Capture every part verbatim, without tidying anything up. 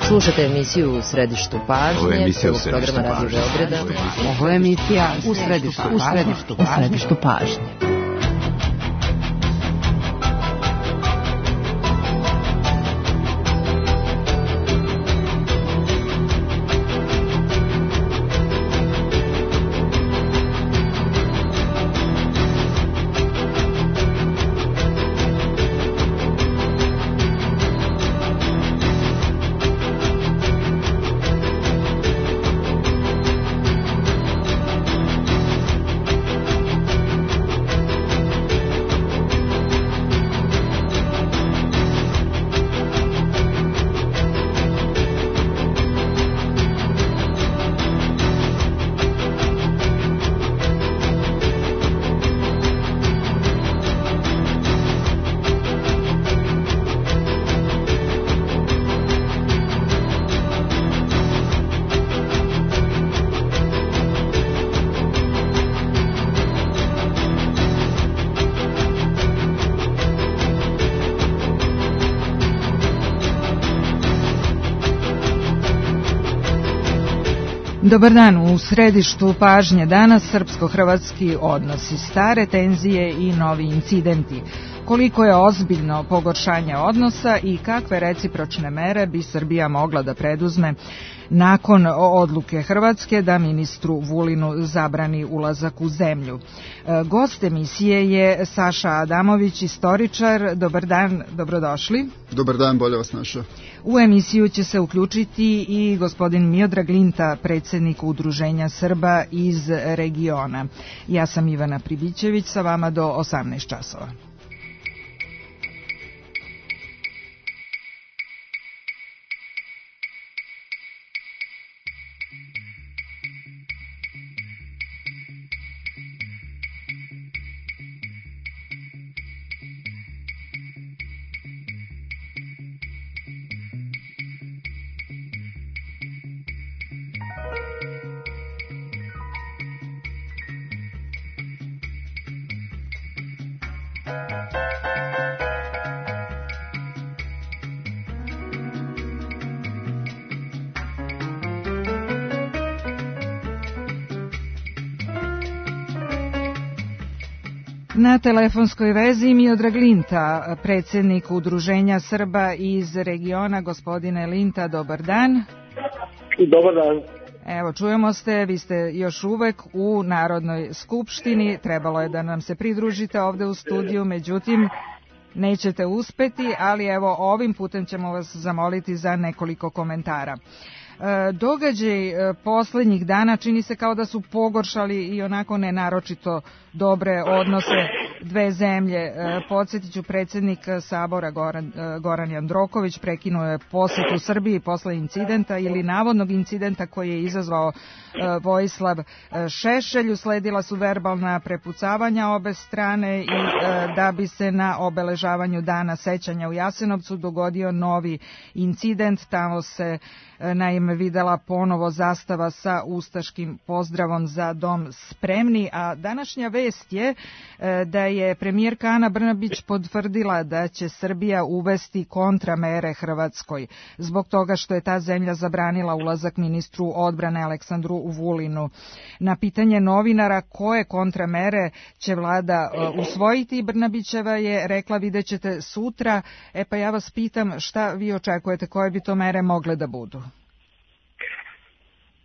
Slušate emisiju U središtu pažnje, prvog programa Radio Beograda. Ovo je emisija U središtu pažnje. U središtu pažnje. Dobar dan, u središtu pažnje danas srpsko-hrvatski odnosi, stare tenzije i novi incidenti. Koliko je ozbiljno pogoršanje odnosa i kakve recipročne mere bi Srbija mogla da preduzme nakon odluke Hrvatske da ministru Vulinu zabrani ulazak u zemlju. Gost emisije je Saša Adamović, istoričar. Dobar dan, dobrodošli. Dobar dan, bolje vas našao. U emisiju će se uključiti i gospodin Miodrag Linta, predsjednik Udruženja Srba iz regiona. Ja sam Ivana Pribićević, sa vama do osamnaest časova. Na telefonskoj vezi Miodrag Linta, predsjednik Udruženja Srba iz regiona. Gospodine Linta, dobar dan. Dobar dan. Evo, čujemo ste, vi ste još uvek u Narodnoj skupštini, trebalo je da nam se pridružite ovde u studiju, međutim nećete uspeti, ali evo ovim putem ćemo vas zamoliti za nekoliko komentara. Događaj poslednjih dana čini se kao da su pogoršali i onako nenaročito dobre odnose dve zemlje. Podsjetit ću, predsjednik Sabora Goran, Goran Jandroković prekinuo je posjetu Srbiji posle incidenta ili navodnog incidenta koji je izazvao Vojislav Šešelj. Usledila su verbalna prepucavanja obe strane i da bi se na obeležavanju dana sećanja u Jasenovcu dogodio novi incident. Tamo se naime videla ponovo zastava sa ustaškim pozdravom Za dom spremni, a današnja vest je da je premijerka Ana Brnabić potvrdila da će Srbija uvesti kontramere Hrvatskoj zbog toga što je ta zemlja zabranila ulazak ministru odbrane Aleksandru Vulinu. Na pitanje novinara koje kontramere će vlada usvojiti, Brnabićeva je rekla vidjet ćete sutra. E pa ja vas pitam šta vi očekujete, koje bi to mere mogle da budu?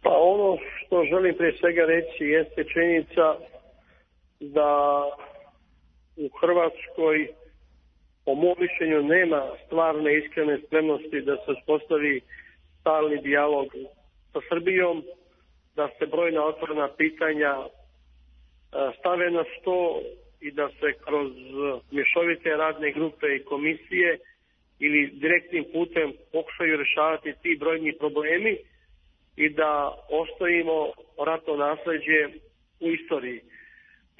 Pa ono što želim prije svega reći jeste činjenica da u Hrvatskoj po mom mišljenju nema stvarne iskrene spremnosti da se uspostavi stalni dijalog sa Srbijom, da se brojna otvorena pitanja stave na sto i da se kroz mješovite radne grupe i komisije ili direktnim putem pokušaju rješavati ti brojni problemi i da ostavimo ratno nasleđe u istoriji.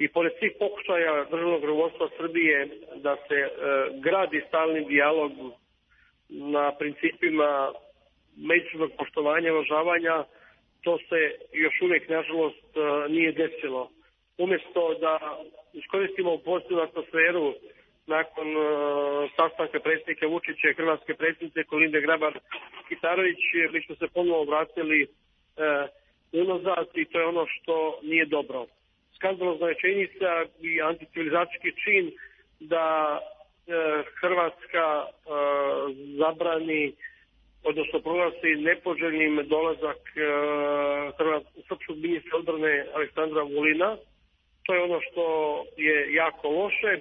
I pored svih pokušaja državnog rukovodstva Srbije da se e, gradi stalni dijalog na principima međusobnog poštovanja i uvažavanja, to se još uvijek nažalost nije desilo. Umjesto da iskoristimo pozitivnu atmosferu nakon uh, sastanka predsjednika Vučića i hrvatske predsjednice Kolinde Grabar-Kitarović, mi smo se ponovo vratili uh, unazad i to je ono što nije dobro. Skandalozna je činjenica i anticivilizacijski čin da uh, Hrvatska uh, zabrani, odnosno proglasi nepoželjnim dolazak uh, srpskog ministra odbrane Aleksandra Vulina. To je ono što je jako loše.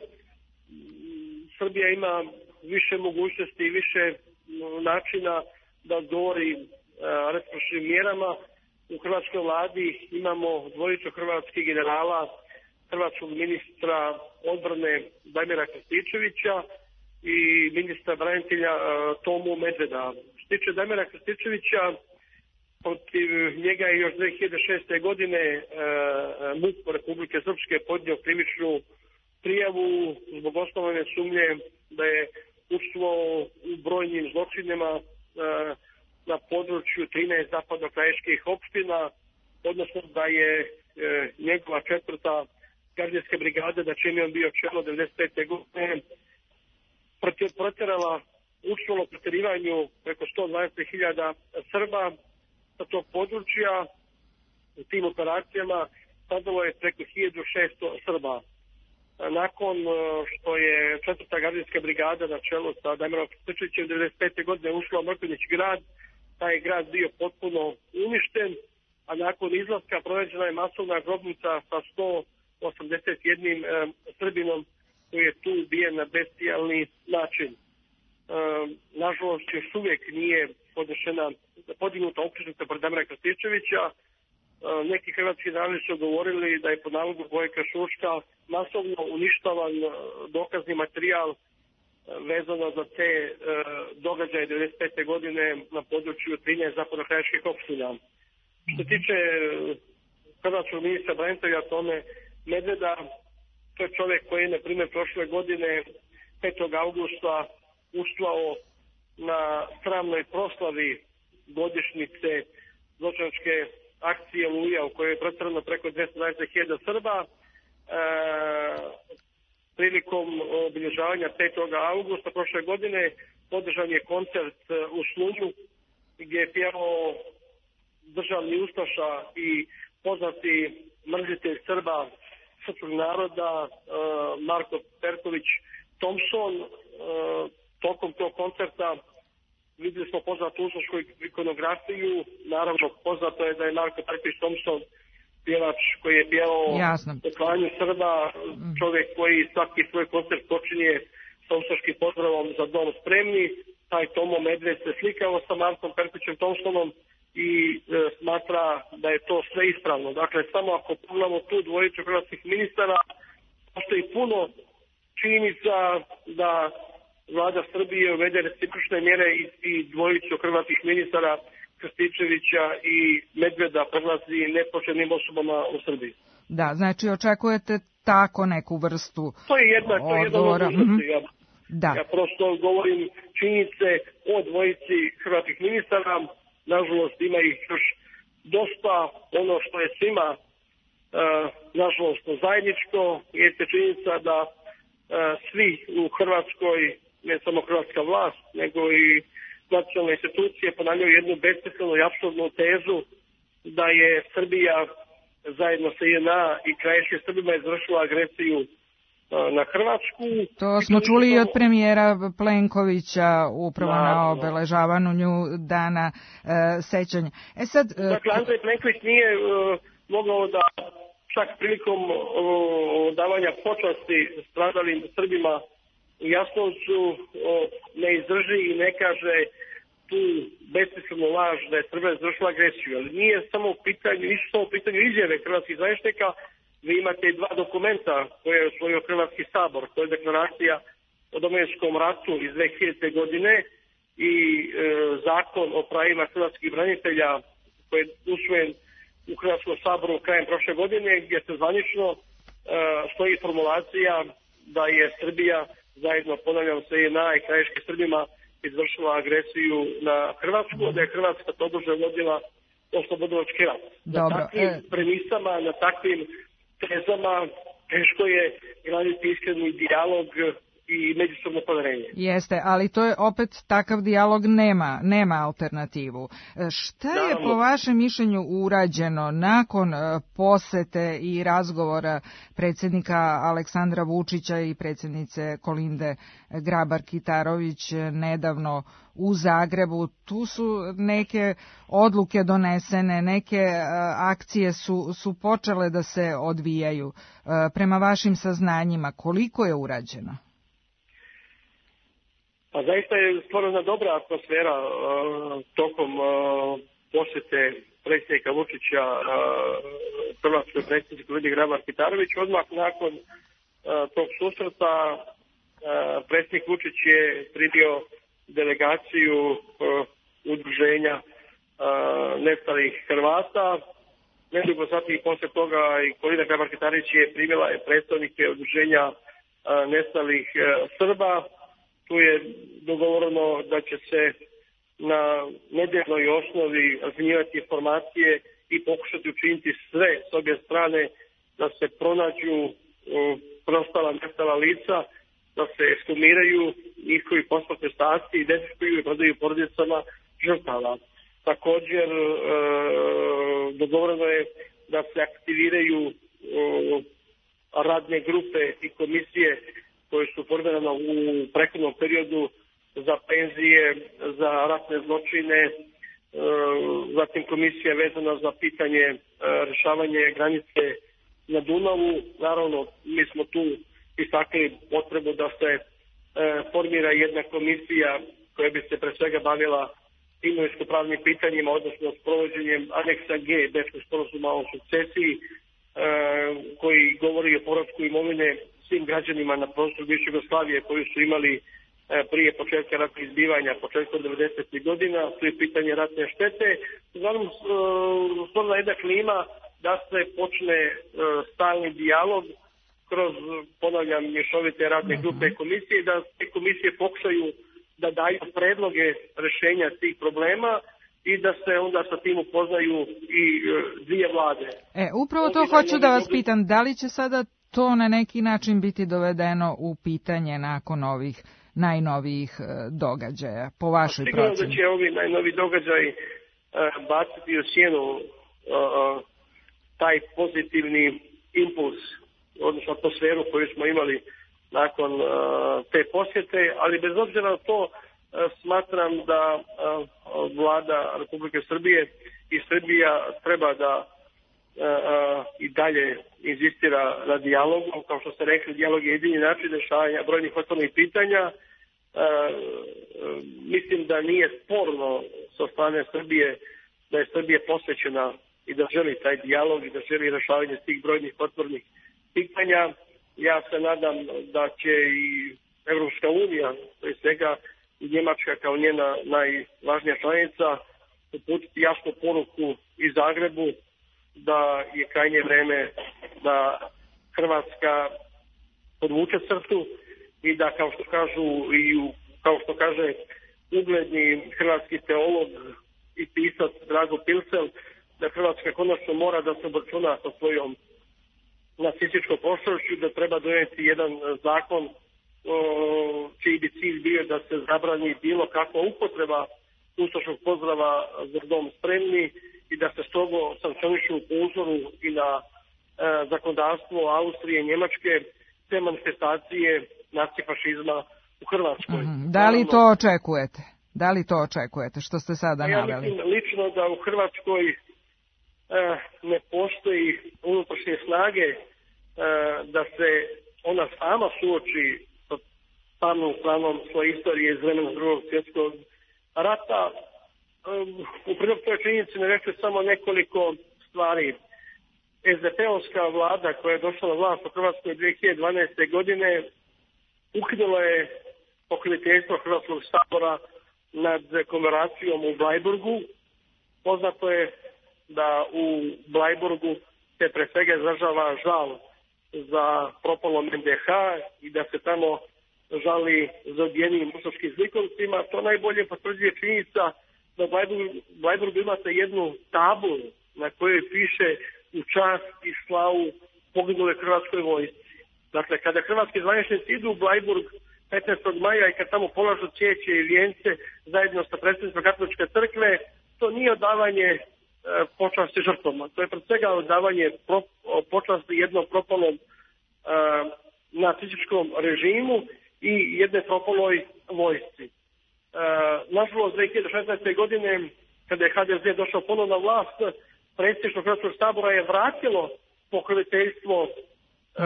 Srbija ima više mogućnosti i više načina da odgovori uh, represivnim mjerama. U hrvatskoj vladi imamo dvojicu hrvatskih generala, hrvatskog ministra odbrane Damira Krstičevića i ministra branitelja uh, Tomu Medveda. Što se tiče Damira Krstičevića, protiv njega je još dve hiljade šeste. godine uh, MUP Republike Srpske podnio krivičnu prijavu zbog osnovane sumnje da je učestvovao u brojnim zločinima uh, na području trinaest zapadno-krajiških opština, odnosno da je uh, njegova četvrta gardijska brigada, na čem je on bio čelo devedeset pete. godine, protjerala, učestvovalo u protjerivanju preko sto dvadeset hiljada Srba sa tog područja. U tim operacijama stradalo je preko hiljadu šesto Srba. Nakon što je četvrta gardijska brigada na čelu sa Damirom Krstičevićem devedeset pete. godine ušla u Mrkonjić grad, taj je grad bio potpuno uništen, a nakon izlaska pronađena je masovna grobnica sa sto osamdeset jednim e, Srbinom koji je tu ubijen na bestijalni način. E, nažalost, još uvijek nije podnešena, podignuta optužnica protiv Damira Krstičevića. E, neki hrvatski narodi su govorili da je po nalogu Gojka Šuška masovno uništavan dokazni materijal e, vezano za te e, događaje devedeset pete. godine na području trinaest zapadno-krajiških opština. Što se tiče hrvatskog ministra branitelja Tome Medveda, to je čovjek koji je, na primjer, prošle godine petog augusta učestvovao na sramnoj proslavi godišnjice zločinačke akcije Oluja u kojoj je protjerano preko dvesta dvadeset hiljada Srba. E, prilikom obilježavanja petog augusta prošle godine održan je koncert u Slunju gdje je pjevao državni ustaša i poznati mrzitelj Srba, srpskog naroda, Marko Perković Thompson. Tokom tog koncerta vidjeli smo poznatu ustašku ikonografiju. Naravno, poznato je da je Marko Perković Thompson pjevač koji je pjevao o klanju Srba, čovjek koji svaki svoj koncert počinje sa ustaškim pozdravom za dom spremni. Taj Tomo Medved se slikao sa Markom Perkovićem Thompsonom i e, smatra da je to sve ispravno. Dakle, samo ako pogledamo tu dvojicu hrvatskih ministara, postoji puno činjenica da vlada Srbije uvede recipročne mjere i, i dvojicu hrvatskih ministara Krstičevića i Medveda proglasi nepoštenim osobama u Srbiji. Da, znači očekujete tako neku vrstu To je jedna, to je jedna mogućnosti. Ja, da. ja prosto govorim činjenice o dvojici hrvatskih ministara. Nažalost, ima ih još dosta. Ono što je svima, uh, nažalost, zajedničko je činjenica da uh, svi u Hrvatskoj, ne samo hrvatska vlast, nego i nacionalne institucije ponavljaju jednu besmislenu i apsurdnu tezu da je Srbija zajedno sa I N A i krajiškim Srbima izvršila agresiju na Hrvatsku. To smo čuli i od premijera Plenkovića upravo na, na obeležavanju dana e, sećanja. E sad, e, dakle, Andrej Plenković nije e, mogao da čak prilikom e, davanja počasti stradalim Srbima u Jasenovcu e, ne izdrži i ne kaže tu besmislenu laž da je Srbija izvršila agresiju. Ali nije samo u pitanju, nisu samo u pitanju izjave hrvatskih zvaničnika. Vi imate dva dokumenta koje je usvojio Hrvatski sabor, to je deklaracija o Domovinskom ratu iz dve hiljadite. godine i e, zakon o pravima hrvatskih branitelja koji je usvojen u Hrvatskom saboru krajem prošle godine, gdje se zvanično e, stoji formulacija da je Srbija zajedno, ponavljam, sa I N A i krajiškim Srbima izvršila agresiju na Hrvatsku, da je Hrvatska tobože vodila oslobodilački rat. Na takvim e... premisama, na takvim tezama teško je graditi iskreni dijalog i međusobno poverenje. Jeste, ali to je opet takav dijalog nema, nema alternativu. Šta je Naravno. po vašem mišljenju urađeno nakon posete i razgovora predsjednika Aleksandra Vučića i predsjednice Kolinde Grabar-Kitarović nedavno u Zagrebu? Tu su neke odluke donesene, neke akcije su, su počele da se odvijaju. Prema vašim saznanjima, koliko je urađeno? Pa zaista je stvorena dobra atmosfera uh, tokom uh, posjete predsjednika Vučića uh, hrvatskoj predsjednici Kolindi Grabar-Kitarović. Odmah nakon uh, tog susreta uh, predsjednik Vučić je primio delegaciju uh, udruženja uh, nestalih Hrvata. Nedugo zatim posle toga i Kolinda Grabar-Kitarović je primila predstavnike udruženja uh, nestalih uh, Srba. Tu je dogovoreno da će se na nedjeljnoj osnovi razmjenjivati informacije i pokušati učiniti sve s obje strane da se pronađu preostala nestala lica, da se ekshumiraju njihovi posmrtni ostaci, identifikuju i predaju porodicama žrtava. Također e, dogovoreno je da se aktiviraju e, radne grupe i komisije koje su formirane u prethodnom periodu za penzije, za ratne zločine, zatim komisija vezana za pitanje rješavanje granice na Dunavu. Naravno, mi smo tu istakli potrebu da se formira jedna komisija koja bi se pre svega bavila imovinsko-pravnim pitanjima, odnosno s provođenjem aneksa G Bečkog sporazuma o sukcesiji, koji govori o povratku imovine svim građanima na prostoru bivše Jugoslavije koji su imali prije početka ratnih izbivanja, početkom devedesetih godina, to je pitanje ratne štete. Uglavnom, stvorena jedna klima da se počne stalni dijalog kroz, ponavljam, mješovite radne grupe komisije, da te komisije pokušaju da daju predloge rješenja tih problema i da se onda sa tim upoznaju i dvije vlade. E, upravo to hoću da vas pitam, da li će sada to na neki način biti dovedeno u pitanje nakon ovih najnovijih događaja, po vašoj proceni? Sigurno da će ovi najnoviji događaj uh, baciti u sjenu uh, uh, taj pozitivni impuls, odnosno atmosferu koju smo imali nakon uh, te posjete, ali bez obzira na to uh, smatram da uh, vlada Republike Srbije i Srbija treba da uh, uh, i dalje inzistira na dijalogu. Kao što ste rekli, dijalog je jedini način rješavanja brojnih otvorenih pitanja. Uh, uh, mislim da nije sporno sa strane Srbije da je Srbija posvećena i da želi taj dijalog i da želi rješavanje tih brojnih otvorenih pitanja. Ja se nadam da će i Evropska unija, prije svega i Njemačka kao njena najvažnija članica, uputiti jasnu poruku i Zagrebu da je krajnje vreme da Hrvatska podvuče crtu i da, kao što kažu i u, kao što kaže ugledni hrvatski teolog i pisac Drago Pilsel, da Hrvatska konačno mora da se obračuna sa svojom nacističkom prošlošću, da treba donijeti jedan zakon o, čiji bi cilj bio da se zabrani bilo kakva upotreba ustaškog pozdrava za dom spremni i da se strogo sankcionišu po uzoru i na e, zakonodavstvo Austrije i Njemačke te manifestacije nacifašizma u Hrvatskoj. Mm-hmm. Da li to očekujete? Da li to očekujete što ste sada ja naveli? Ja mislim lično da u Hrvatskoj e, ne postoji unutrašnje snage e, da se ona sama suoči sa samom planom svoje istorije iz vremena Drugog svjetskog rata. E, u prilog toj činjenici ne rekli samo nekoliko stvari. es de pe-ovska vlada koja je došla na vlast u Hrvatskoj dvije hiljade dvanaeste. godine ukinula je pokroviteljstvo Hrvatskog sabora nad komemoracijom u Blajburgu. Poznato je da u Blajburgu se pre svega izražava žal za propalom en de ha i da se tamo žali za ubijenim ustaškim zlikovcima. To najbolje potvrđuje činjenica da u Blajburgu, Blajburgu imate jednu tablu na kojoj piše u čast i slavu poginule Hrvatskoj vojsci. Dakle, kada hrvatski zvaničnici idu u Blajburg petnaestog maja i kad tamo polažu cvijeće i vijence zajedno sa predsjednicom Katoličke crkve, to nije odavanje e, počasti žrtvama. To je pred svega odavanje pro, počasti jednom propalom e, nacističkom režimu i jedne propaloj vojsci. E, nažalost, dve hiljade šesnaeste. godine, kada je ha de ze došao ponovno na vlast, predsjedništvo Hrvatskog sabora je vratilo pokroviteljstvo Uh,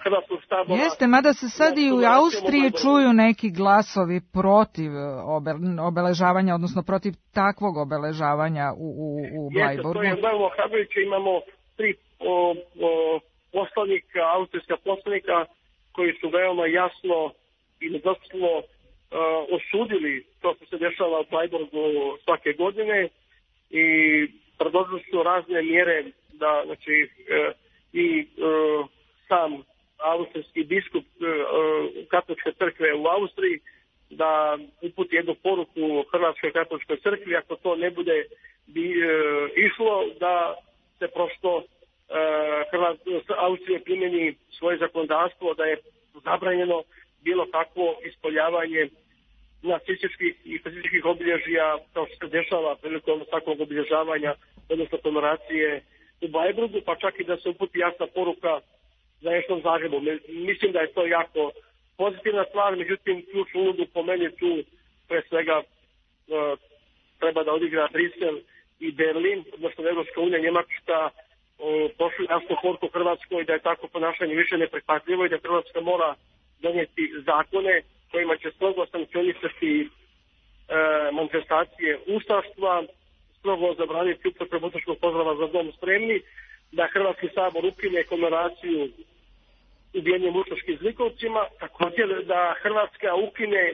Hrvatskog sabora. Jeste, mada se sad i u Austriji čuju neki glasovi protiv obeležavanja, odnosno protiv takvog obeležavanja u, u, u Blajburgu. Jeste, to je veoma ohrabrujuće. Imamo tri o, o, poslanika, austrijska poslanika koji su veoma jasno i nedoslovno uh, osudili to što se dešava u Blajburgu svake godine i predložili su razne mjere da, znači, uh, i uh, sam austrijski biskup uh, Katoličke crkve u Austriji da uputi jednu poruku Hrvatskoj katoličkoj crkvi, ako to ne bude bi, uh, išlo, da se prosto uh, Austrija primjeni svoje zakonodavstvo, da je zabranjeno bilo kakvo ispoljavanje nacističkih i fašističkih obilježja kao što se dešava prilikom takvog obilježavanja, odnosno komemoracije u Blajburgu, pa čak i da se uputi jasna poruka za Ešnom Zagrebu. Mislim da je to jako pozitivna stvar, međutim, ključnu ulogu po meni tu pre svega uh, treba da odigra Brisel i Berlin, odnosno Evropska unija, Njemačka, uh, pošli jasnu poruku Hrvatskoj da je tako ponašanje više neprihvatljivo i da Hrvatska mora donijeti zakone kojima će strogo sankcionisati uh, manifestacije ustaštva, strogo zabraniti upotrebu ustaškog pozdrava za dom spremni, da Hrvatski sabor ukine komemoraciju ubijenim ustaškim zlikovcima, također da Hrvatska ukine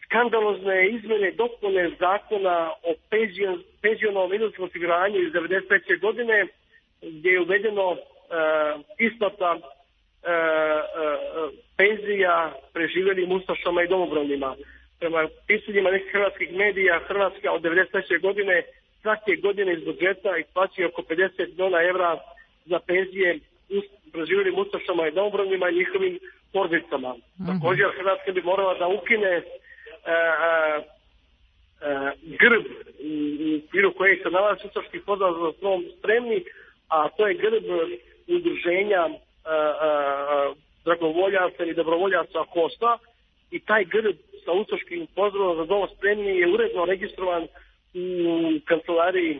skandalozne izmjene dopune zakona o penzion, penzionom invalidskom osiguranju iz devedeset treće. godine, gdje je uvedeno uh, isplata uh, uh, penzija preživjelim ustašama i domobranima. Prema pisanjima nekih hrvatskih medija, Hrvatska od devedeset treće. godine svake godine iz budžeta isplaćuje oko pedeset milijuna evra za penzije preživjelim ustašama i domobranima i njihovim porodicama. Mm-hmm. Također Hrvatska bi morala da ukine uh, uh, uh, grb u okviru kojeg se nalazi ustaški pozdrav za dom spremni, a to je grb udruženja uh, uh, dragovoljaca ili dobrovoljaca Kosta, i taj grb sa ustaškim pozdravom za dom spremni je uredno registrovan u kancelariji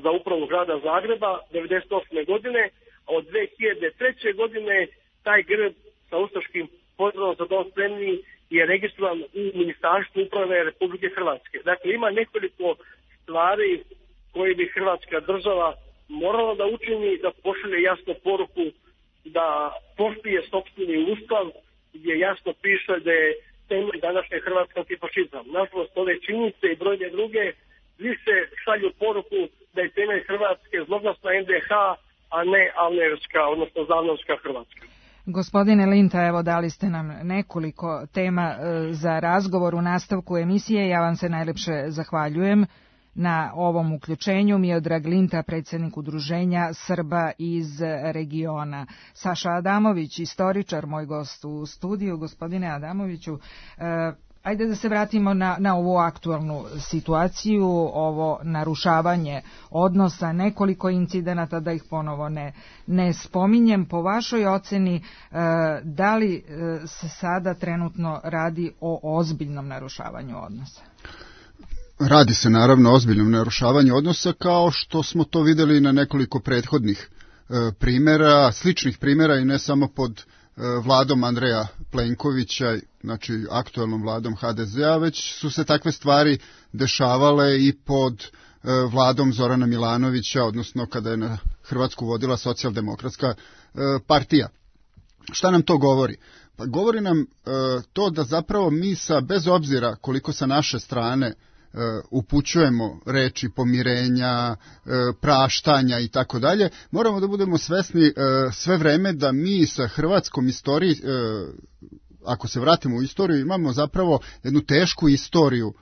za upravu grada Zagreba devedeset osme. godine, a od dve hiljade treće. godine taj grb sa ustaškim pozdravom za dom spremni je registrovan u Ministarstvu uprave Republike Hrvatske. Dakle, ima nekoliko stvari koje bi Hrvatska država morala da učini, da pošalje jasnu poruku da poštuje sopstveni ustav, gdje jasno piše da je temelj današnje Hrvatske antifašizam. Nažalost, ove činjenice i brojne druge više šalju poruku da je temelj Hrvatske zloglasna en de ha, a ne alnevska, odnosno zavnovska Hrvatska. Gospodine Linta, evo dali ste nam nekoliko tema za razgovor u nastavku emisije. Ja vam se najlepše zahvaljujem na ovom uključenju. Miodrag Linta, predsjednik Udruženja Srba iz regiona. Saša Adamović, istoričar, moj gost u studiju. Gospodine Adamoviću, eh, ajde da se vratimo na, na ovu aktualnu situaciju, ovo narušavanje odnosa, nekoliko incidenata, da ih ponovo ne, ne spominjem. Po vašoj oceni, eh, da li eh, se sada trenutno radi o ozbiljnom narušavanju odnosa? Radi se naravno o ozbiljnom narušavanju odnosa, kao što smo to vidjeli na nekoliko prethodnih e, primjera, sličnih primjera i ne samo pod e, vladom Andreja Plenkovića, znači aktualnom vladom ha de ze a, već su se takve stvari dešavale i pod e, vladom Zorana Milanovića, odnosno kada je na Hrvatsku vodila socijaldemokratska e, partija. Šta nam to govori? Pa govori nam e, to da zapravo mi sa, bez obzira koliko sa naše strane Uh, upućujemo reči pomirenja, uh, praštanja i tako dalje, moramo da budemo svesni uh, sve vreme da mi sa hrvatskom istorijom, uh, ako se vratimo u istoriju, imamo zapravo jednu tešku istoriju uh,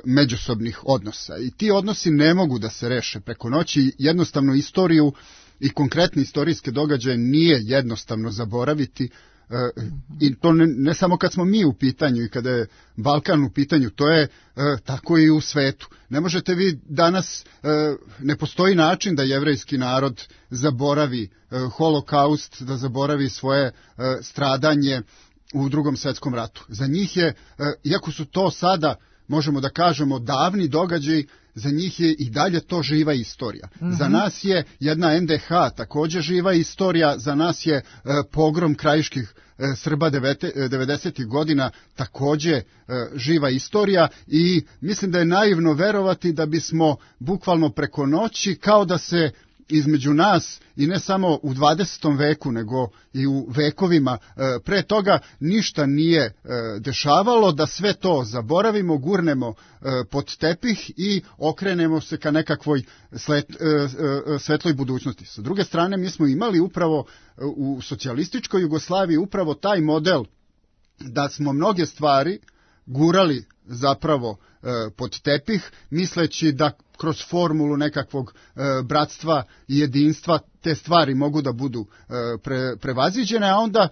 međusobnih odnosa. I ti odnosi ne mogu da se reše preko noći. Jednostavno istoriju i konkretne istorijske događaje nije jednostavno zaboraviti, I to ne, ne samo kad smo mi u pitanju i kada je Balkan u pitanju, to je tako i u svetu. Ne možete vi danas, ne postoji način da jevrejski narod zaboravi holokaust, da zaboravi svoje stradanje u Drugom svjetskom ratu. Za njih je, iako su to sada, možemo da kažemo, davni događaj, za njih je i dalje to živa istorija. Mm-hmm. Za nas je jedna en de ha također živa istorija, za nas je e, pogrom krajiških e, Srba devedesetih godina također e, živa istorija i mislim da je naivno verovati da bismo bukvalno preko noći, kao da se između nas i ne samo u dvadesetom veku nego i u vekovima e, pre toga ništa nije e, dešavalo, da sve to zaboravimo, gurnemo e, pod tepih i okrenemo se ka nekakvoj slet, e, e, svetloj budućnosti. Sa druge strane, mi smo imali upravo e, u socijalističkoj Jugoslaviji upravo taj model da smo mnoge stvari gurali zapravo e, pod tepih, misleći da kroz formulu nekakvog e, bratstva i jedinstva te stvari mogu da budu e, pre, prevaziđene, a onda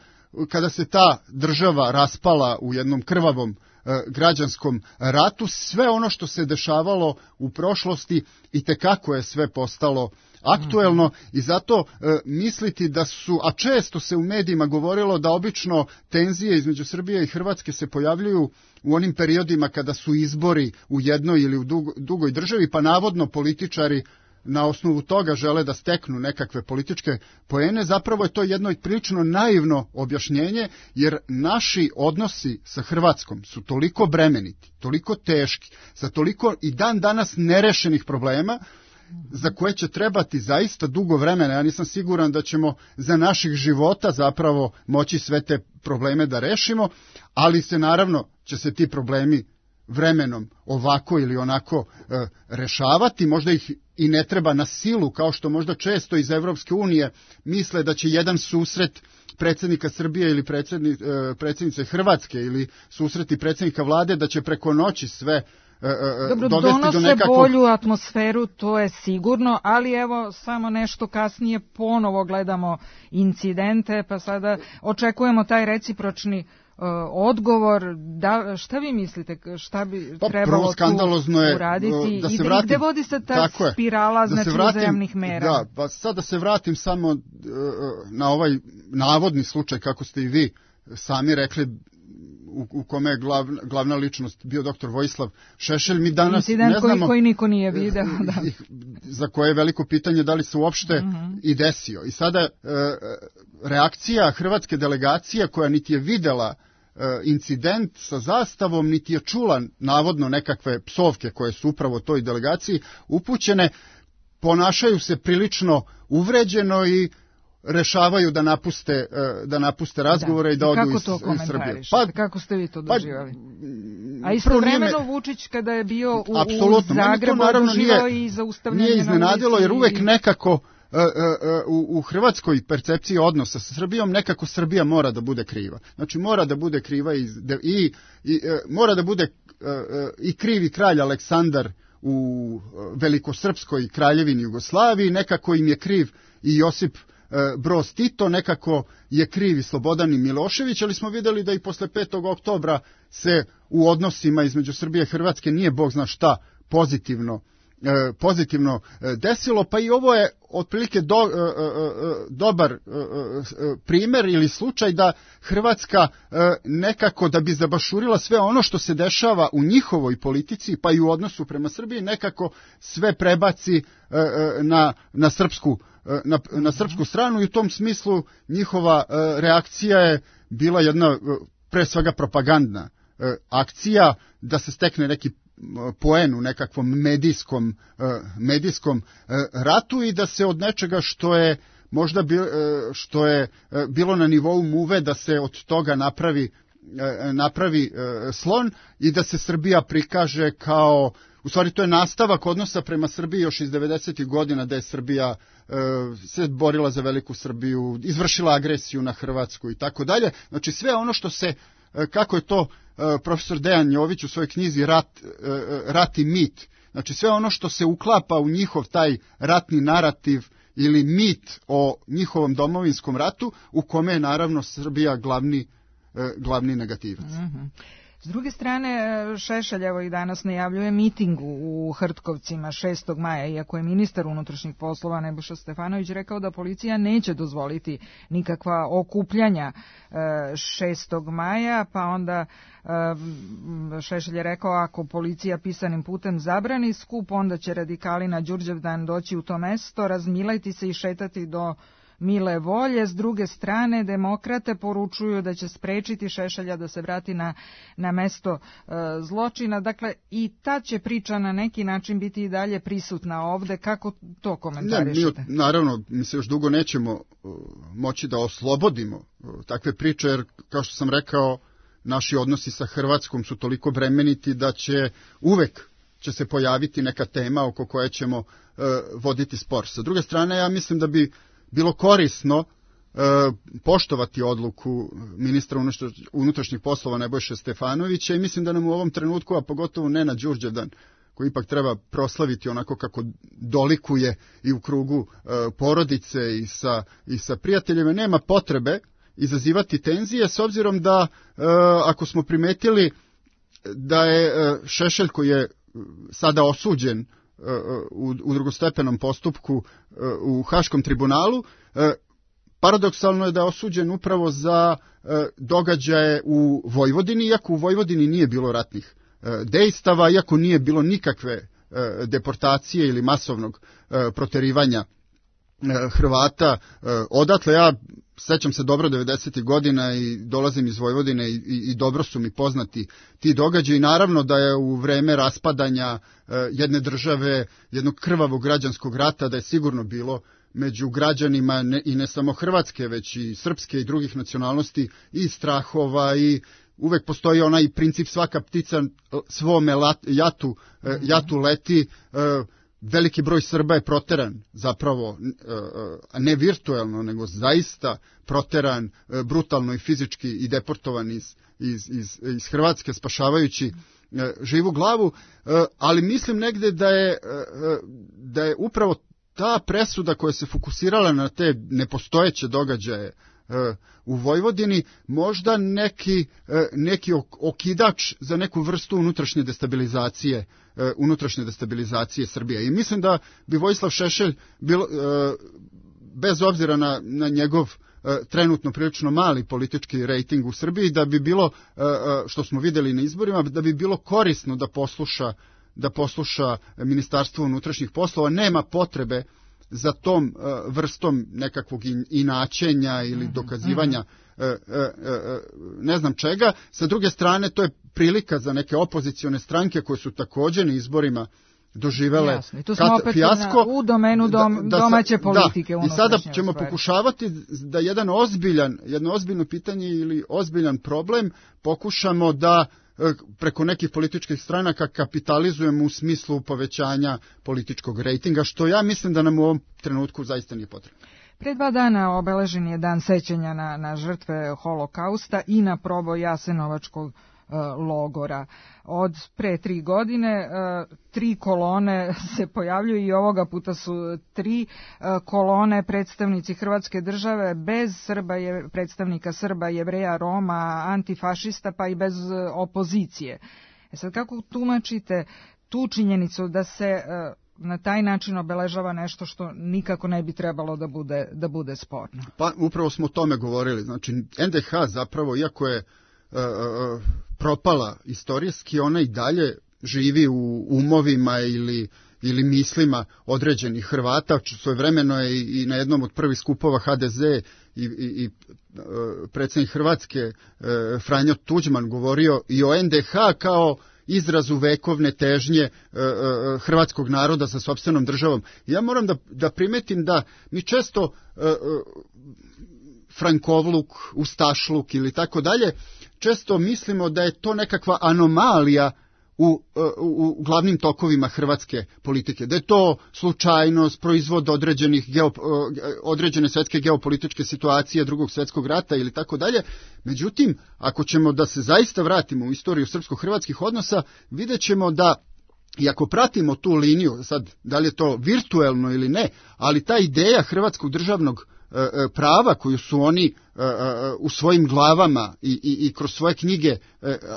kada se ta država raspala u jednom krvavom e, građanskom ratu, sve ono što se dešavalo u prošlosti itekako je sve postalo aktuelno i zato e, misliti da su, a često se u medijima govorilo da obično tenzije između Srbije i Hrvatske se pojavljuju u onim periodima kada su izbori u jednoj ili u dugo, dugoj državi, pa navodno političari na osnovu toga žele da steknu nekakve političke poene, zapravo je to jedno prilično naivno objašnjenje, jer naši odnosi sa Hrvatskom su toliko bremeniti, toliko teški, sa toliko i dan danas nerešenih problema, za koje će trebati zaista dugo vremena. Ja nisam siguran da ćemo za naših života zapravo moći sve te probleme da rešimo, ali se naravno će se ti problemi vremenom ovako ili onako e, rešavati. Možda ih i ne treba na silu, kao što možda često iz Evropske unije misle da će jedan susret predsjednika Srbije ili predsjedni, e, predsjednice Hrvatske ili susreti predsjednika vlade da će preko noći sve Dobro, donose do nekakvog... bolju atmosferu, to je sigurno, ali evo samo nešto kasnije ponovo gledamo incidente, pa sada očekujemo taj recipročni uh, odgovor. Da, šta vi mislite, šta bi pa, trebalo tu je, uraditi da i se da, vratim, gde vodi se ta spirala, znači uzajamnih mera? Da, pa sad da se vratim samo uh, na ovaj navodni slučaj, kako ste i vi sami rekli, U, u kome je glav, glavna ličnost bio doktor Vojislav Šešelj. Mi danas incident ne znamo, koji, koji niko nije video, da. Za koje je veliko pitanje da li se uopšte uh-huh. i desio. I sada e, reakcija hrvatske delegacije koja niti je videla e, incident sa zastavom, niti je čula navodno nekakve psovke koje su upravo toj delegaciji upućene, ponašaju se prilično uvređeno i rešavaju da napuste da napuste razgovore da. i da odu iz, iz Srbije. Pa kako ste vi to doživjeli? Pa, a istovremeno me... Vučić kada je bio u, u Zagrebu doživao i zaustavljanje. Nije iznenadilo jer uvek nekako uh, uh, uh, u hrvatskoj percepciji odnosa sa Srbijom nekako Srbija mora da bude kriva. Znači mora da bude kriva i, i, i uh, mora da bude uh, uh, i krivi kralj Aleksandar u velikosrpskoj kraljevini Jugoslaviji, nekako im je kriv i Josip Broz Tito, nekako je kriv i Slobodan i Milošević, ali smo vidjeli da i posle petog oktobra se u odnosima između Srbije i Hrvatske nije bog zna šta pozitivno, eh, pozitivno desilo, pa i ovo je otprilike do, eh, eh, dobar eh, primjer ili slučaj da Hrvatska eh, nekako da bi zabašurila sve ono što se dešava u njihovoj politici, pa i u odnosu prema Srbiji, nekako sve prebaci eh, na, na srpsku Na, na srpsku stranu i u tom smislu njihova e, reakcija je bila jedna e, pre svega propagandna e, akcija da se stekne neki poen u nekakvom medijskom, e, medijskom e, ratu i da se od nečega što je možda bi, e, što je e, bilo na nivou muve da se od toga napravi, e, napravi e, slon i da se Srbija prikaže kao, u stvari to je nastavak odnosa prema Srbiji još iz devedesetih godina da je Srbija se borila za veliku Srbiju, izvršila agresiju na Hrvatsku i tako dalje. Znači sve ono što se, kako je to profesor Dejan Jović u svojoj knjizi Rat, rat i mit, znači sve ono što se uklapa u njihov taj ratni narativ ili mit o njihovom domovinskom ratu u kome je naravno Srbija glavni, glavni negativac. Mm-hmm. S druge strane, Šešelj evo i danas najavljuje miting u Hrtkovcima šestog maja, iako je ministar unutrašnjih poslova Nebojša Stefanović rekao da policija neće dozvoliti nikakva okupljanja šestog maja, pa onda Šešelj je rekao ako policija pisanim putem zabrani skup, onda će radikali na Đurđevdan doći u to mesto, razmilajti se i šetati do mile volje. S druge strane, demokrate poručuju da će sprečiti Šešelja da se vrati na, na mesto e, zločina. Dakle, i ta će priča na neki način biti i dalje prisutna ovde. Kako to komentarišete? Ne, mi, naravno, mi se još dugo nećemo uh, moći da oslobodimo uh, takve priče, jer, kao što sam rekao, naši odnosi sa Hrvatskom su toliko bremeniti da će uvek će se pojaviti neka tema oko koje ćemo uh, voditi spor. Sa druge strane, ja mislim da bi bilo korisno e, poštovati odluku ministra unutrašnjih poslova Nebojše Stefanovića i mislim da nam u ovom trenutku, a pogotovo ne na Đurđevdan, koji ipak treba proslaviti onako kako dolikuje i u krugu e, porodice i sa, i sa prijateljima, nema potrebe izazivati tenzije, s obzirom da, e, ako smo primetili da je e, Šešelj, koji je sada osuđen U, u drugostepenom postupku u Haškom tribunalu, paradoksalno je da je osuđen upravo za događaje u Vojvodini, iako u Vojvodini nije bilo ratnih dejstava, iako nije bilo nikakve deportacije ili masovnog proterivanja Hrvata odatle. Ja sećam se dobro devedesetih godina i dolazim iz Vojvodine i, i, i dobro su mi poznati ti događaji. Naravno da je u vreme raspadanja jedne države, jednog krvavog građanskog rata, da je sigurno bilo među građanima ne, i ne samo Hrvatske, već i srpske i drugih nacionalnosti i strahova, i uvek postoji onaj princip svaka ptica svome lat, jatu, jatu leti. Veliki broj Srba je proteran, zapravo ne virtuelno, nego zaista proteran brutalno i fizički i deportovan iz, iz, iz, iz Hrvatske, spašavajući živu glavu, ali mislim negde da je, da je upravo ta presuda koja se fokusirala na te nepostojeće događaje u Vojvodini možda neki, neki okidač za neku vrstu unutrašnje destabilizacije, unutrašnje destabilizacije Srbije. I mislim da bi Vojislav Šešelj, bilo, bez obzira na, na njegov trenutno prilično mali politički rejting u Srbiji, da bi bilo, što smo vidjeli na izborima, da bi bilo korisno da posluša, da posluša Ministarstvo unutrašnjih poslova. Nema potrebe za tom uh, vrstom nekakvog in, inačenja ili dokazivanja uh, uh, uh, ne znam čega. Sa druge strane, to je prilika za neke opozicione stranke koje su također na izborima doživele Jasno, tu smo kat, opet fijasko, na, u domenu dom, da, da, domaće politike. Da, i sada ćemo sferi. pokušavati da jedan ozbiljan, jedno ozbiljno pitanje ili ozbiljan problem pokušamo da preko nekih političkih stranaka kapitalizujemo u smislu povećanja političkog rejtinga, što ja mislim da nam u ovom trenutku zaista nije potrebno. Pre dva dana obeležen je dan sećanja na, na žrtve holokausta i na proboj Jasenovačkog logora. Od pre tri godine tri kolone se pojavljuju i ovoga puta su tri kolone predstavnici Hrvatske države bez Srba, je, predstavnika Srba, Jevreja, Roma, antifašista, pa i bez opozicije. E sad, kako tumačite tu činjenicu da se na taj način obeležava nešto što nikako ne bi trebalo da bude, da bude sporno? Pa upravo smo o tome govorili. Znači, en de ha zapravo, iako je propala istorijski, ona i dalje živi u umovima ili, ili mislima određenih Hrvata. Svojevremeno je i, i na jednom od prvih skupova ha de ze i, i, i predsjednik Hrvatske Franjo Tuđman govorio i o en de ha kao izrazu vekovne težnje hrvatskog naroda sa sopstvenom državom. Ja moram da, da primetim da mi često frankovluk, ustašluk ili tako dalje, često mislimo da je to nekakva anomalija u, u, u glavnim tokovima hrvatske politike, da je to slučajnost, proizvod određenih geo, određene svjetske geopolitičke situacije, drugog svjetskog rata ili tako dalje. Međutim, ako ćemo da se zaista vratimo u istoriju srpsko-hrvatskih odnosa, vidjet ćemo da I ako pratimo tu liniju, sad da li je to virtuelno ili ne, ali ta ideja hrvatskog državnog prava koju su oni u svojim glavama i, i, i kroz svoje knjige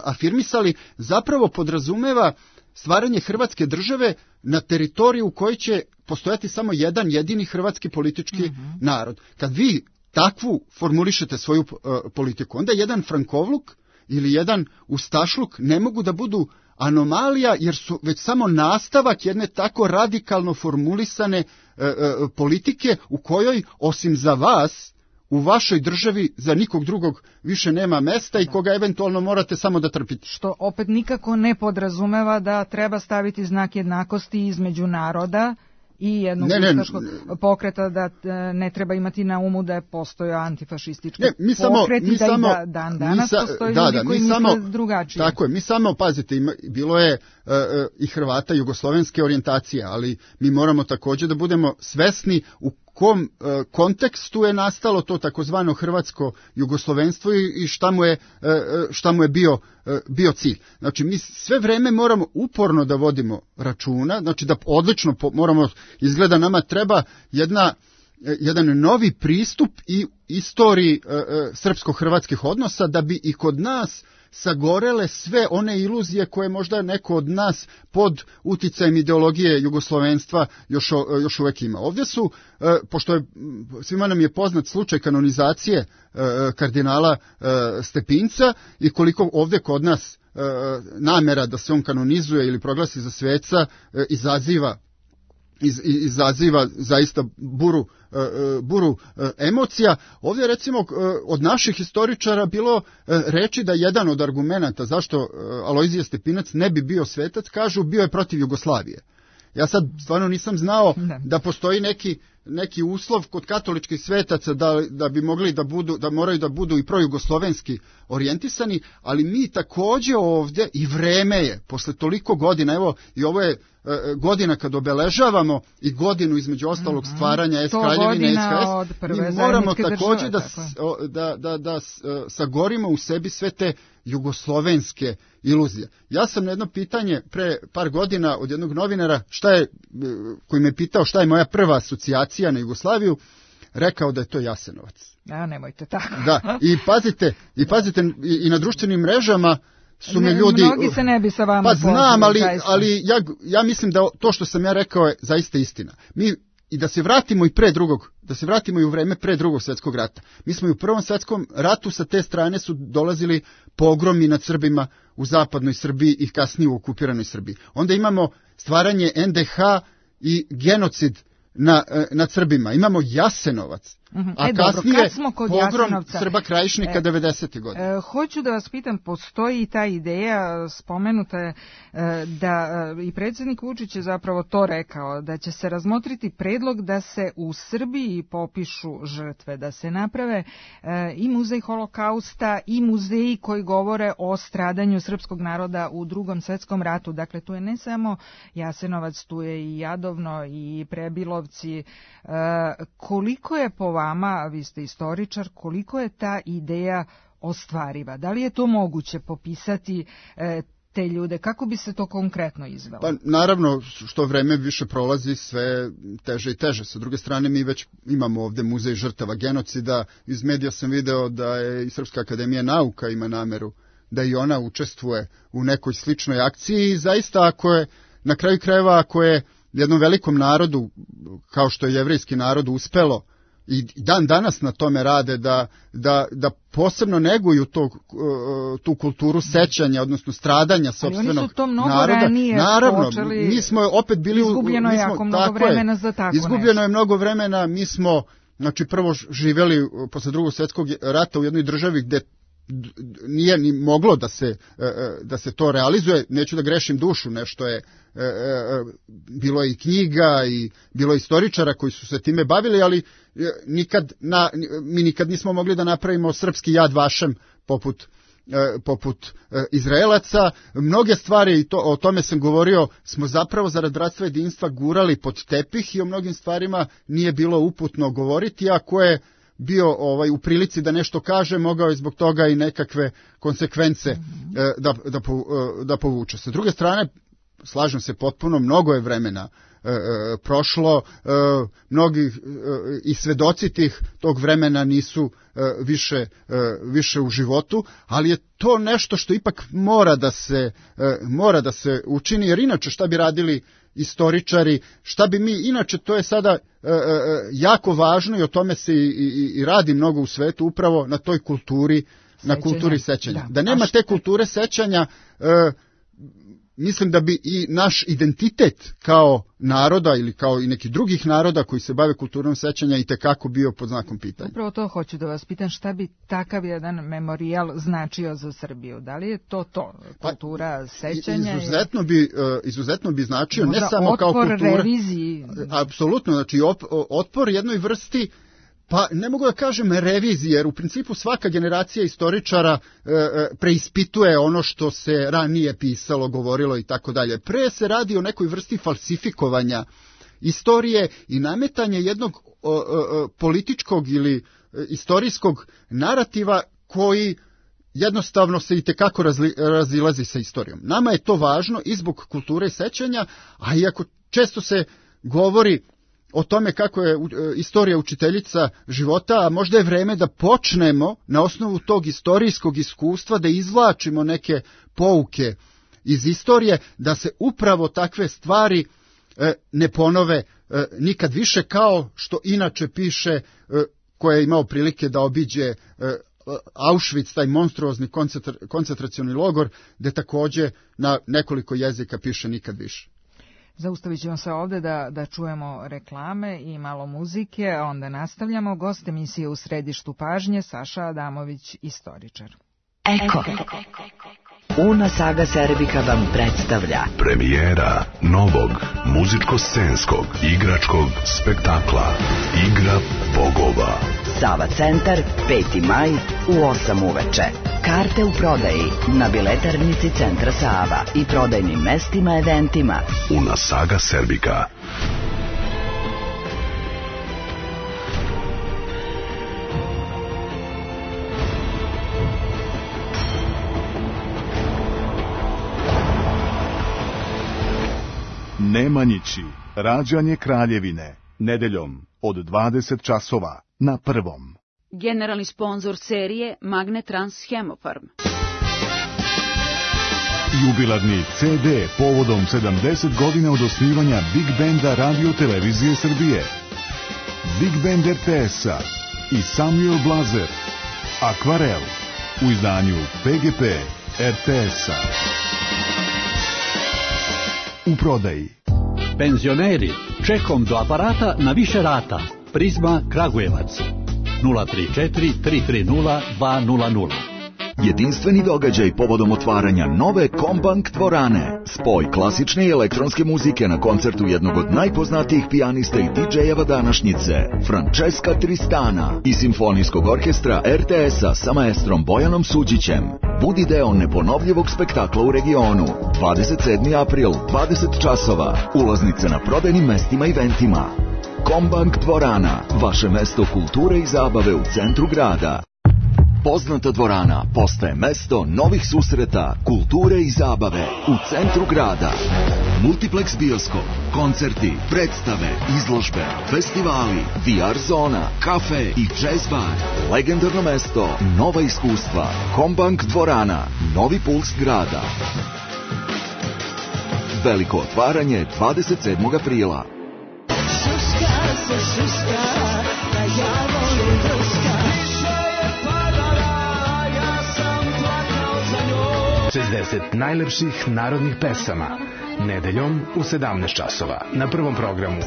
afirmisali, zapravo podrazumeva stvaranje Hrvatske države na teritoriju u kojoj će postojati samo jedan jedini hrvatski politički mm-hmm. narod. Kad vi takvu formulišete svoju uh, politiku, onda jedan frankovluk ili jedan ustašluk ne mogu da budu anomalija, jer su već samo nastavak jedne tako radikalno formulisane uh, uh, politike u kojoj, osim za vas, u vašoj državi za nikog drugog više nema mesta i koga eventualno morate samo da trpite. Što opet nikako ne podrazumeva da treba staviti znak jednakosti između naroda i jednog ne, ustaškog ne, pokreta, da ne treba imati na umu da je postojao antifašistički ne, mi samo, pokret mi i da samo, i da dan danas sa, postoji da, ljudi da, koji mi misle samo, drugačije. Tako je, mi samo, pazite, ima, bilo je uh, uh, i Hrvata jugoslovenske orijentacije, ali mi moramo također da budemo svesni u kom uh, kontekstu je nastalo to takozvano hrvatsko jugoslovenstvo i, i šta mu je, uh, šta mu je bio, uh, bio cilj. Znači, mi sve vreme moramo uporno da vodimo računa, znači da odlično po, moramo, izgleda nama treba jedna, jedan novi pristup i istoriji uh, uh, srpsko-hrvatskih odnosa da bi i kod nas sagorele sve one iluzije koje možda neko od nas pod uticajem ideologije jugoslovenstva još, još uvek ima. Ovdje su, pošto je, svima nam je poznat slučaj kanonizacije kardinala Stepinca i koliko ovdje kod nas namera da se on kanonizuje ili proglasi za sveca izaziva Iz, izaziva zaista buru, buru emocija. Ovdje recimo od naših historičara bilo reči da jedan od argumenata zašto Alojzije Stepinac ne bi bio svetac, kažu bio je protiv Jugoslavije. Ja sad stvarno nisam znao ne. da postoji neki, neki uslov kod katoličkih svetaca da, da bi mogli da budu, da moraju da budu i projugoslovenski orijentisani, ali mi također ovdje i vreme je, posle toliko godina, evo i ovo je godina kad obeležavamo i godinu između ostalog mm-hmm. stvaranja S Kraljevine S H S, mi moramo također da, da, da, da sagorimo u sebi sve te jugoslovenske iluzije. Ja sam na jedno pitanje pre par godina od jednog novinara šta je, koji me pitao šta je moja prva asocijacija na Jugoslaviju, rekao da je to Jasenovac. A nemojte tako. Da, i pazite, i pazite i, i na društvenim mrežama su me ljudi... Mnogi se ne bi sa vama Pa znam, ali, ali ja, ja mislim da to što sam ja rekao je zaista istina. Mi, i da se vratimo i pre drugog, da se vratimo i u vreme pre drugog svjetskog rata. Mi smo i u prvom svjetskom ratu sa te strane su dolazili pogromi nad Srbima u zapadnoj Srbiji i kasnije u okupiranoj Srbiji. Onda imamo stvaranje N D H i genocid na, nad Srbima. Imamo Jasenovac. Uh-huh. A e, kasnije dobro, smo kod pogrom Jasenovca, Srba Krajišnika devedesetih godina. E, hoću da vas pitam, postoji i ta ideja, spomenuta je, e, da e, i predsjednik Vučić je zapravo to rekao, da će se razmotriti predlog da se u Srbiji popišu žrtve, da se naprave e, i muzej holokausta i muzeji koji govore o stradanju srpskog naroda u Drugom svjetskom ratu. Dakle, tu je ne samo Jasenovac, tu je i Jadovno i Prebilovci. E, koliko je po vama, vi ste istoričar, koliko je ta ideja ostvariva? Da li je to moguće popisati e, te ljude? Kako bi se to konkretno izvelo? Pa naravno, što vreme više prolazi, sve teže i teže. Sa druge strane, mi već imamo ovdje muzej žrtava genocida. Iz medija sam video da je i Srpska akademija nauka ima nameru da i ona učestvuje u nekoj sličnoj akciji. I zaista, ako je, na kraju krajeva, ako je jednom velikom narodu, kao što je jevrejski narod, uspelo i dan danas na tome rade da, da, da posebno neguju to, tu kulturu sećanja, odnosno stradanja sopstvenog naroda. Ali oni su to mnogo naroda. ranije Naravno, počeli, mi smo opet bili... Izgubljeno je jako mnogo vremena je, za tako Izgubljeno nešto. je mnogo vremena, mi smo znači, prvo živjeli posle drugog svjetskog rata u jednoj državi gde nije ni moglo da se, da se to realizuje. Neću da grešim dušu, nešto je bilo je i knjiga i bilo je istoričara koji su se time bavili, ali nikad na, mi nikad nismo mogli da napravimo srpski Jad Vašem poput poput Izraelaca. Mnoge stvari, i to, o tome sam govorio, smo zapravo zarad bratstva jedinstva gurali pod tepih i o mnogim stvarima nije bilo uputno govoriti, a ko je bio ovaj u prilici da nešto kaže, mogao je zbog toga i nekakve konsekvence mm-hmm. da, da, da povuče. Sa druge strane, slažem se potpuno, mnogo je vremena e, e, prošlo, e, mnogi e, i svedoci tih tog vremena nisu e, više, e, više u životu, ali je to nešto što ipak mora da se, e, mora da se učini, jer inače šta bi radili istoričari, šta bi mi, inače to je sada e, e, jako važno i o tome se i, i, i radi mnogo u svetu, upravo na toj kulturi, sećanja. na kulturi sećanja. Da, da nema te kulture sećanja, e, mislim da bi i naš identitet kao naroda ili kao i nekih drugih naroda koji se bave kulturom sećanja itekako bio pod znakom pitanja. Upravo to hoću da vas pitam, šta bi takav jedan memorijal značio za Srbiju? Da li je to to, kultura pa, sećanja? Izuzetno bi, izuzetno bi značio, ne samo kao kultura. Otpor reviziji. Apsolutno, znači op, otpor jednoj vrsti, pa ne mogu da kažem reviziji, jer u principu svaka generacija istoričara e, preispituje ono što se ranije pisalo, govorilo i tako dalje. Pre se radi o nekoj vrsti falsifikovanja istorije i nametanje jednog o, o, političkog ili istorijskog narativa koji jednostavno se itekako razli, razilazi sa istorijom. Nama je to važno i zbog kulture sećanja, a iako često se govori o tome kako je istorija učiteljica života, a možda je vreme da počnemo na osnovu tog istorijskog iskustva da izvlačimo neke pouke iz istorije, da se upravo takve stvari ne ponove nikad više, kao što inače piše, ko je imao prilike da obiđe Auschwitz, taj monstruozni koncentra, koncentracioni logor, gde takođe na nekoliko jezika piše nikad više. Zaustavit ćemo se ovde da, da čujemo reklame i malo muzike, a onda nastavljamo. Gost emisije U središtu pažnje, Saša Adamović, istoričar. Eko. Una Saga Serbika vam predstavlja premijera novog muzičko-scenskog igračkog spektakla Igra bogova. Sava centar, peti maj u osam uveče. Karte u prodaji na biletarnici Centra Sava i prodajnim mestima eventima. Una Saga Serbika. Nemanjići, rađanje kraljevine, nedeljom od dvadeset časova na Prvom. Generalni sponzor serije Magnetrans Hemofarm. Jubilarni ce de povodom sedamdeset godina od osnivanja Big Benda Radio Televizije Srbije. Big Band er te es-a i Samuel Blazer. Akvarel u izdanju pe ge pe er te es-a. U prodaji. Penzioneri, čekom do aparata na više rata. Prizma Kragujevac. nula tri četiri tri tri nula dva nula nula. Jedinstveni događaj povodom otvaranja nove Kombank dvorane. Spoj klasične i elektronske muzike na koncertu jednog od najpoznatijih pijanista i didžejeva današnjice, Francesca Tristana, i simfonijskog orkestra er te es-a sa maestrom Bojanom Suđićem. Budi deo neponovljivog spektakla u regionu. dvadeset sedmi april, dvadeset časova. Ulaznice na prodajnim mestima i eventima. Kombank dvorana, vaše mesto kulture i zabave u centru grada. Poznata dvorana postaje mesto novih susreta, kulture i zabave u centru grada. Multiplex bioskop, koncerti, predstave, izložbe, festivali, ve er zona, kafe i jazz bar. Legendarno mesto, nova iskustva. Kombank dvorana, novi puls grada. Veliko otvaranje dvadeset sedmog aprila. Šuška se šuška, da ja volim druška. šezdeset najlepših narodnih pesama. Nedeljom u sedamnaest časova na Prvom programu.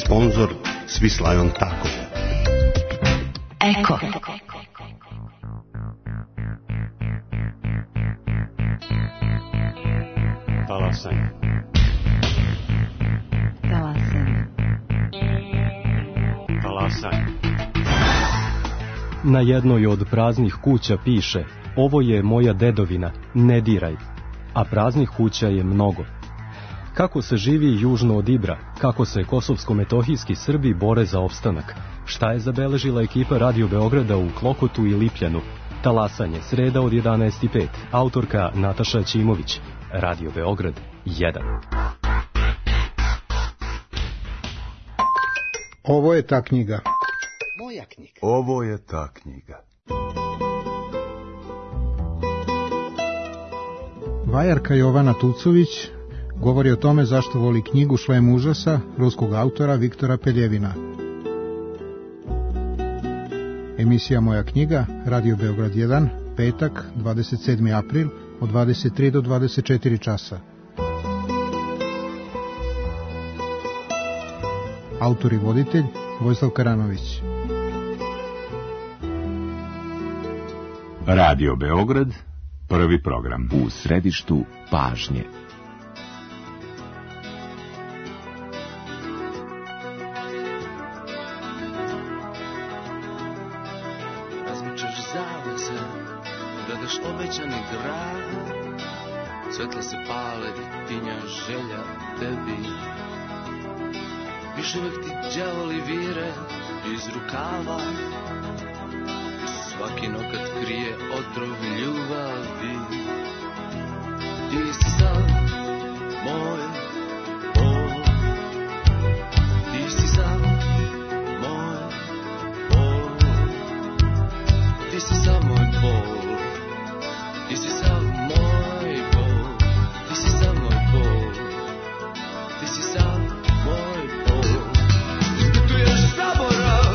Sponzor Swiss Lion Taco. Eko. Talasanje. Talasanje. Talasanje. Na jednoj od praznih kuća piše: ovo je moja dedovina, ne diraj. A praznih kuća je mnogo. Kako se živi južno od Ibra, kako se kosovsko-metohijski Srbi bore za opstanak, šta je zabeležila ekipa Radio Beograda u Klokotu i Lipljanu, Talasanje, sreda od jedanaest i pet. Autorka Nataša Ćimović. Radio Beograd jedan. Ovo je ta knjiga. Moja knjiga. Ovo je ta knjiga. Vajarka Jovana Tucović govori o tome zašto voli knjigu Šlem užasa ruskog autora Viktora Peljevina. Emisija Moja knjiga, Radio Beograd jedan, petak, dvadeset sedmi april, od dvadeset tri do dvadeset četiri časa. Autor i voditelj Vojislav Karanović. Radio Beograd, prvi program. U središtu pažnje. Razmičaš zavese, gledaš obećani grad, svetla se pale, tinja želja tebi. Još uvek ti đavoli vire iz rukava, svaki nokat krije otrov ljubavi. Ti si sam moj bol, ti si sam moj bol, ti si sam moj bol, ti si sam moj bol, ti si sam moj bol, ti si sam moj bol. Ispituješ zaborav,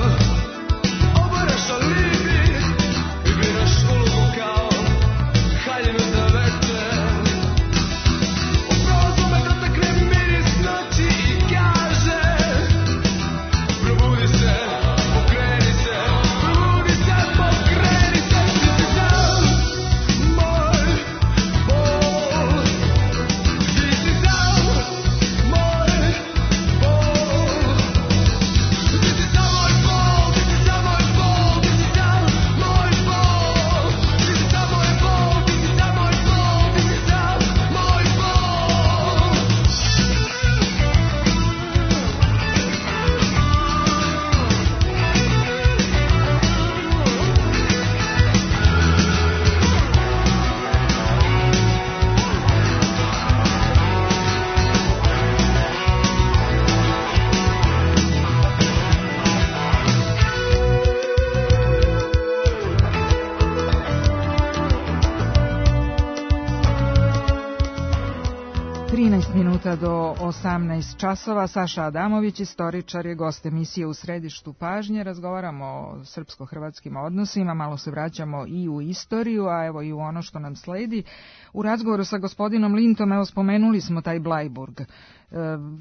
obaraš alibi, igraš ulogu kao haljinu za veter. Upravo me dotakne miris noći i kaže: probudi se, pokreni se, probudi se, pokreni se. Ti si sam moj bol, ti si sam moj bol, ti si sam moj bol, ti si sam moj bol, ti si sam moj bol, ti si sam moj bol, ti si sam moj bol, ti si sam moj bol. trinaest minuta do osamnaest časova. Saša Adamović, istoričar, je gost emisije U središtu pažnje. Razgovaramo o srpsko-hrvatskim odnosima, malo se vraćamo i u istoriju, a evo i u ono što nam sledi. U razgovoru sa gospodinom Lintom, evo, spomenuli smo taj Blajburg.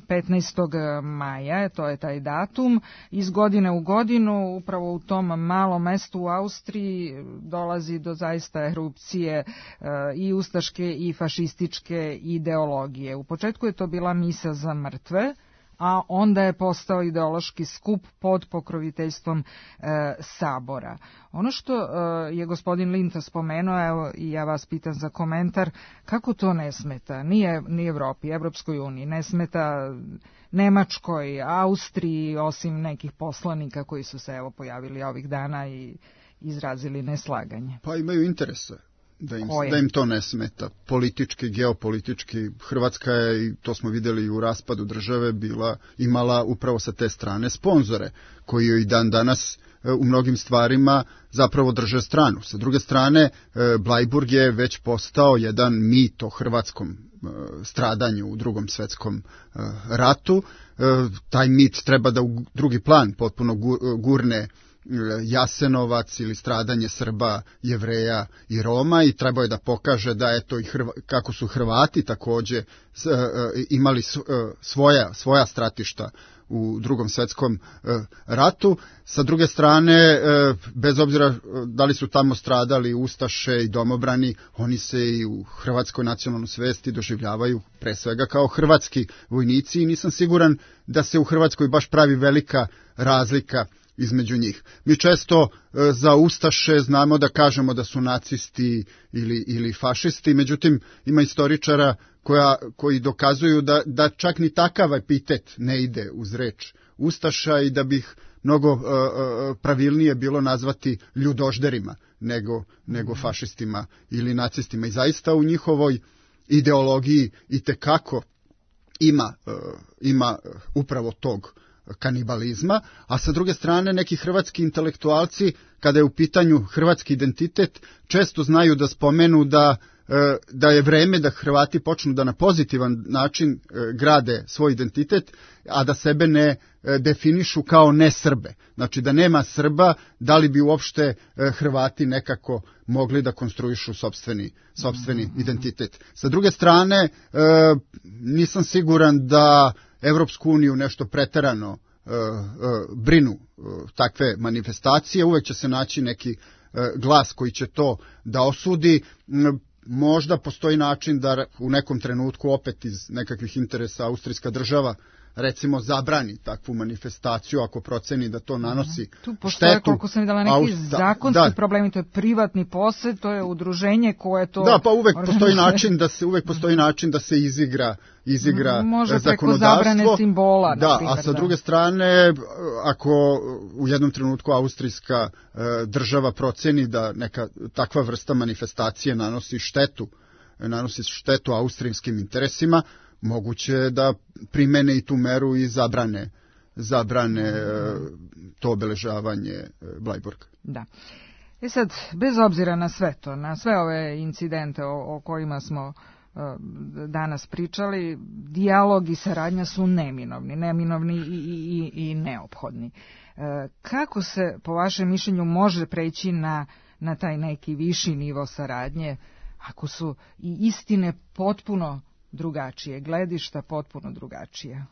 petnaestog maja, to je taj datum. Iz godine u godinu, upravo u tom malom mestu u Austriji, dolazi do zaista erupcije i ustaške i fašističke ideologije. U početku je to bila misa za mrtve, a onda je postao ideološki skup pod pokroviteljstvom e, Sabora. Ono što e, je gospodin Linta spomenuo, evo i ja vas pitam za komentar, kako to ne smeta ni, ni Evropi, Evropskoj uniji, ne smeta Nemačkoj, Austriji, osim nekih poslanika koji su se evo pojavili ovih dana i izrazili neslaganje? Pa imaju interese da im, da im to ne smeta. Politički, geopolitički, Hrvatska je, i to smo vidjeli u raspadu države, bila, imala upravo sa te strane sponzore, koji joj dan danas u mnogim stvarima zapravo drže stranu. Sa druge strane, Blajburg je već postao jedan mit o hrvatskom stradanju u Drugom svjetskom ratu. Taj mit treba da u drugi plan potpuno gurne Jasenovac ili stradanje Srba, Jevreja i Roma, i trebao je da pokaže da eto i Hrva, kako su Hrvati također s, uh, imali s, uh, svoja, svoja stratišta u Drugom svjetskom uh, ratu. Sa druge strane, uh, bez obzira da li su tamo stradali ustaše i domobrani, oni se i u hrvatskoj nacionalnoj svesti doživljavaju pre svega kao hrvatski vojnici, i nisam siguran da se u Hrvatskoj baš pravi velika razlika između njih. Mi često e, za ustaše znamo da kažemo da su nacisti ili, ili fašisti, međutim ima istoričara koja, koji dokazuju da, da čak ni takav epitet ne ide uz reč ustaša, i da bih mnogo e, pravilnije bilo nazvati ljudožderima nego, nego fašistima ili nacistima. I zaista u njihovoj ideologiji itekako ima, ima upravo tog kanibalizma, a sa druge strane neki hrvatski intelektualci, kada je u pitanju hrvatski identitet, često znaju da spomenu da da je vreme da Hrvati počnu da na pozitivan način grade svoj identitet, a da sebe ne definišu kao ne Srbe. Znači da nema Srba, da li bi uopšte Hrvati nekako mogli da konstruišu sopstveni, sopstveni identitet. Sa druge strane, nisam siguran da Evropsku uniju nešto preterano brinu takve manifestacije. Uvek će se naći neki glas koji će to da osudi. Možda postoji način da u nekom trenutku opet iz nekakvih interesa austrijska država recimo zabrani takvu manifestaciju ako proceni da to nanosi tu postoje, štetu. Koliko sam videla, neki Aust... zakonski da. problemi, to je privatni posed, to je udruženje koje to... Da, pa uvek postoji način da se uvek postoji način da se izigra izigra može zakonodavstvo. Može preko zabrane simbola, da, na primjer, a sa da. druge strane, ako u jednom trenutku austrijska e, država proceni da neka takva vrsta manifestacije nanosi štetu, nanosi štetu austrijskim interesima, moguće da primene i tu meru i zabrane, zabrane to obeležavanje Blajburga. Da. E sad, bez obzira na sve to, na sve ove incidente o, o kojima smo uh, danas pričali, dijalog i saradnja su neminovni, neminovni i, i, i neophodni. Uh, kako se, po vašem mišljenju, može preći na, na taj neki viši nivo saradnje, ako su i istine potpuno drugačije, gledišta potpuno drugačije?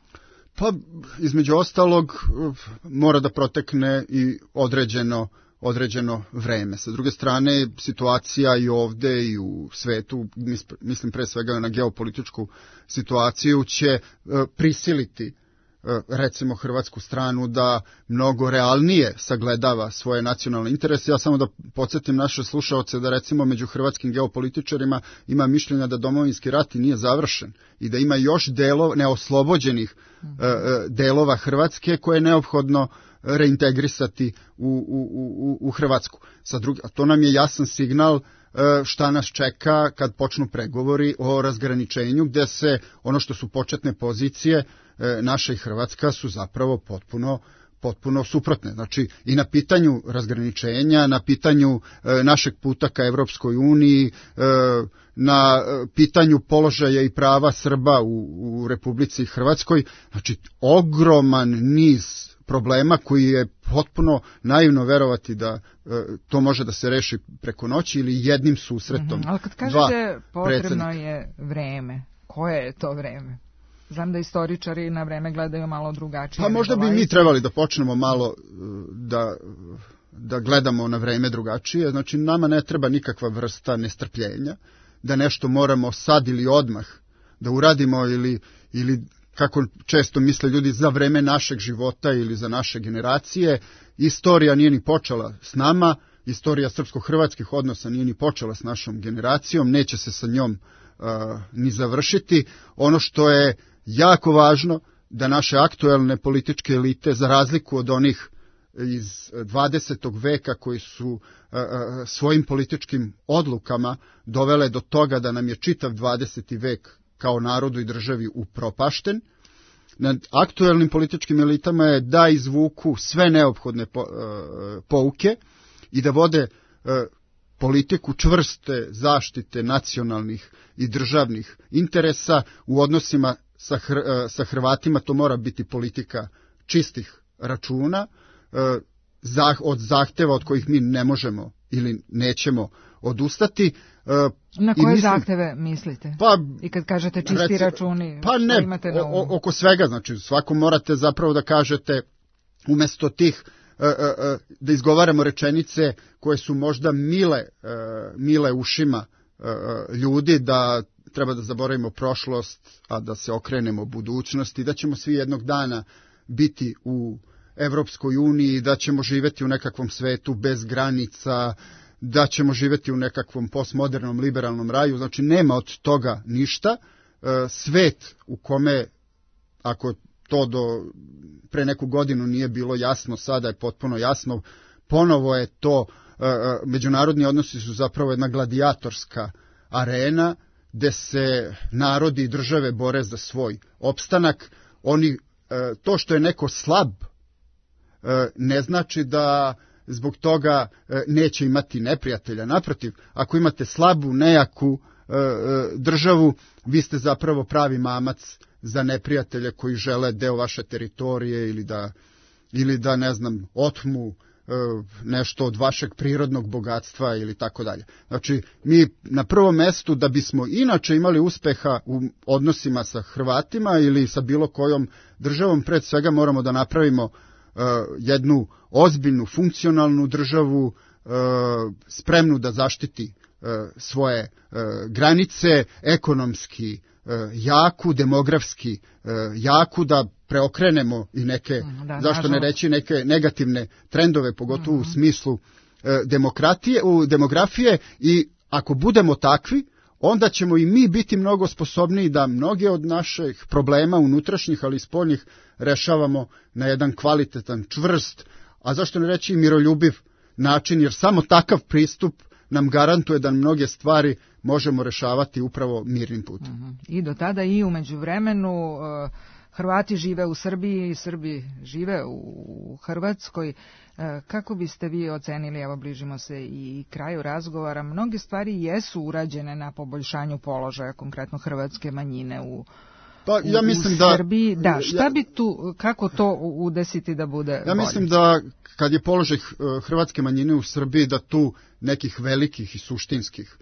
Pa, između ostalog, mora da protekne i određeno, određeno vreme. Sa druge strane, situacija i ovde i u svetu, mislim pre svega na geopolitičku situaciju, će prisiliti recimo hrvatsku stranu da mnogo realnije sagledava svoje nacionalne interese. Ja samo da podsjetim naše slušaoce da recimo među hrvatskim geopolitičarima ima mišljenja da domovinski rat nije završen i da ima još delova, neoslobođenih delova Hrvatske koje je neophodno reintegrisati u, u, u, u Hrvatsku. Sa druge, a to nam je jasan signal šta nas čeka kad počnu pregovori o razgraničenju, gde se ono što su početne pozicije naša i Hrvatska su zapravo potpuno potpuno suprotne. Znači i na pitanju razgraničenja, na pitanju e, našeg puta ka Evropskoj uniji, e, na pitanju položaja i prava Srba u, u Republici Hrvatskoj, znači ogroman niz problema koji je potpuno naivno verovati da e, to može da se reši preko noći ili jednim susretom. Mm-hmm. Ali kad kažete potrebno je vreme, koje je to vreme? Znam da istoričari na vreme gledaju malo drugačije. Pa možda bi mi trebali da počnemo malo da, da gledamo na vreme drugačije. Znači nama ne treba nikakva vrsta nestrpljenja, da nešto moramo sad ili odmah da uradimo ili, ili kako često misle ljudi za vreme našeg života ili za naše generacije. Istorija nije ni počela s nama, istorija srpsko-hrvatskih odnosa nije ni počela s našom generacijom, neće se sa njom uh, ni završiti. Ono što je jako važno da naše aktuelne političke elite, za razliku od onih iz dvadesetog veka koji su a, a, svojim političkim odlukama dovele do toga da nam je čitav dvadeseti vek kao narodu i državi upropašten, na aktuelnim političkim elitama je da izvuku sve neophodne po, a, pouke i da vode a, politiku čvrste zaštite nacionalnih i državnih interesa u odnosima Sa, Hr, sa Hrvatima. To mora biti politika čistih računa, od zahteva od kojih mi ne možemo ili nećemo odustati. Na koje mislim, zahteve mislite? Pa, I kad kažete čisti reci, računi, pa ne, imate na umu? Oko svega, znači svako morate zapravo da kažete umesto tih da izgovaramo rečenice koje su možda mile, mile ušima ljudi, da treba da zaboravimo prošlost, a da se okrenemo budućnosti, da ćemo svi jednog dana biti u Evropskoj uniji, da ćemo živjeti u nekakvom svetu bez granica, da ćemo živjeti u nekakvom postmodernom liberalnom raju. Znači nema od toga ništa. Svet u kome, ako to do pre neku godinu nije bilo jasno, sada je potpuno jasno, ponovo je to međunarodni odnosi su zapravo jedna gladijatorska arena gde se narodi i države bore za svoj opstanak. Oni, to što je neko slab ne znači da zbog toga neće imati neprijatelja. Naprotiv, ako imate slabu, nejaku državu, vi ste zapravo pravi mamac za neprijatelje koji žele deo vaše teritorije ili da, ili da ne znam, otmu nešto od vašeg prirodnog bogatstva ili tako dalje. Znači, mi na prvom mestu, da bismo inače imali uspeha u odnosima sa Hrvatima ili sa bilo kojom državom, pred svega moramo da napravimo uh, jednu ozbiljnu, funkcionalnu državu, uh, spremnu da zaštiti uh, svoje uh, granice, ekonomski uh, jaku, demografski uh, jaku, da preokrenemo i neke, da, zašto ne reći, neke negativne trendove, pogotovo uh-huh. u smislu e, demokratije, u demografije, i ako budemo takvi, onda ćemo i mi biti mnogo sposobniji da mnoge od naših problema unutrašnjih, ali i spoljnih, rešavamo na jedan kvalitetan, čvrst, a zašto ne reći i miroljubiv način, jer samo takav pristup nam garantuje da mnoge stvari možemo rešavati upravo mirnim putem. Uh-huh. I do tada i u međuvremenu uh... Hrvati žive u Srbiji, Srbi žive u Hrvatskoj. Kako biste vi ocenili, evo bližimo se i kraju razgovora, mnoge stvari jesu urađene na poboljšanju položaja, konkretno hrvatske manjine u, pa, ja u, mislim u da, Srbiji. Da, šta ja, bi tu, kako to udesiti da bude Ja bolje? mislim da kad je položaj hrvatske manjine u Srbiji, da tu nekih velikih i suštinskih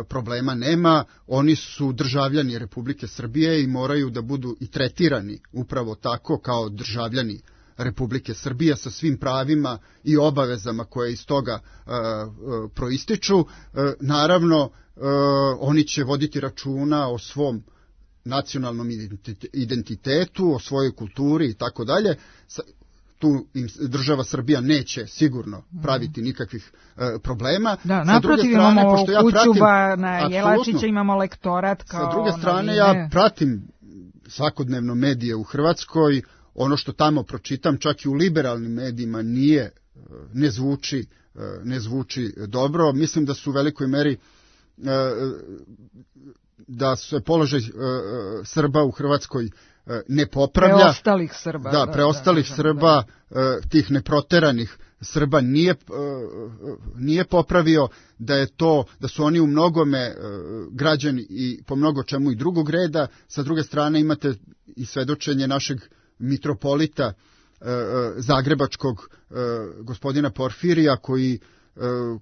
problema nema. Oni su državljani Republike Srbije i moraju da budu i tretirani upravo tako kao državljani Republike Srbije sa svim pravima i obavezama koje iz toga uh, uh, proističu. Uh, naravno, uh, oni će voditi računa o svom nacionalnom identitetu, o svojoj kulturi i tako dalje. Tu im država Srbija neće sigurno praviti nikakvih e, problema. Da, naprotiv, strane, imamo pošto ja Kućuba na Jelačića, imamo lektorat kao... Sa druge strane, novine. Ja pratim svakodnevno medije u Hrvatskoj, ono što tamo pročitam, čak i u liberalnim medijima, nije, ne zvuči, ne zvuči dobro. Mislim da su u velikoj meri da se položaj Srba u Hrvatskoj ne popravlja. Preostalih Srba. Da, preostalih da, da, Srba, da. Tih neproteranih Srba nije, nije popravio, da je to, da su oni u mnogome građani i po mnogo čemu i drugog reda. Sa druge strane imate i svedočenje našeg mitropolita zagrebačkog gospodina Porfirija, koji,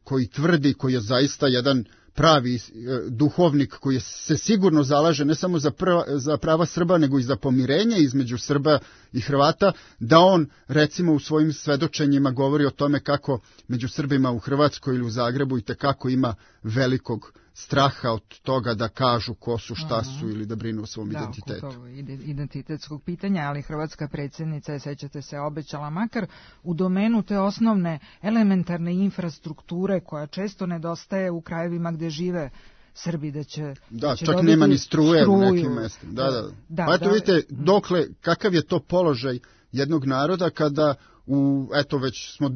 koji tvrdi, koji je zaista jedan pravi duhovnik koji se sigurno zalaže ne samo za, prva, za prava Srba, nego i za pomirenje između Srba i Hrvata, da on recimo u svojim svedočenjima govori o tome kako među Srbima u Hrvatskoj ili u Zagrebu i tekako ima velikog straha od toga da kažu ko su, šta su ili da brinu o svom da, identitetu. Da, oko identitetskog pitanja, ali hrvatska predsjednica je, sećate se, obećala makar u domenu te osnovne elementarne infrastrukture koja često nedostaje u krajevima gdje žive Srbi, da će Da, da će čak nema ni struje struju. u nekim mestima. Da, da. da pa eto da, vidite, dokle, kakav je to položaj jednog naroda kada u, eto već smo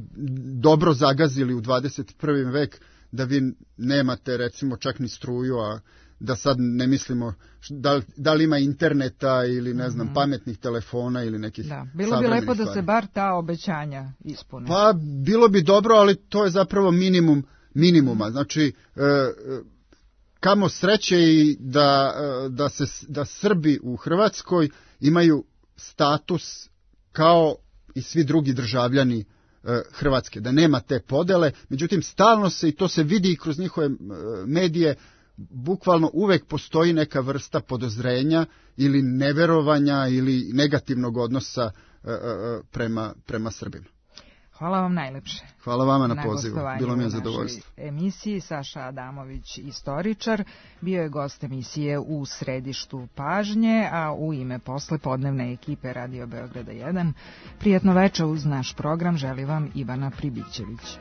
dobro zagazili u dvadeset prvi vek, da vi nemate recimo čak ni struju, a da sad ne mislimo da, da li ima interneta ili ne znam, mm-hmm. pametnih telefona ili nekih da. Bilo bi lepo da se bar ta obećanja ispune. Pa bilo bi dobro, ali to je zapravo minimum minimuma. Znači, e, kamo sreće i da, da, se, da Srbi u Hrvatskoj imaju status kao i svi drugi državljani Hrvatske, da nema te podele, međutim stalno se, i to se vidi i kroz njihove medije, bukvalno uvek postoji neka vrsta podozrenja ili neverovanja ili negativnog odnosa prema, prema Srbima. Hvala vam najlepše. Hvala vama na, na pozivu, bilo mi je zadovoljstvo. Emisiji Saša Adamović, istoričar, bio je gost emisije u središtu pažnje, a u ime poslepodnevne ekipe Radio Beograda jedan, prijatno veče uz naš program želi vam Ivana Pribićević.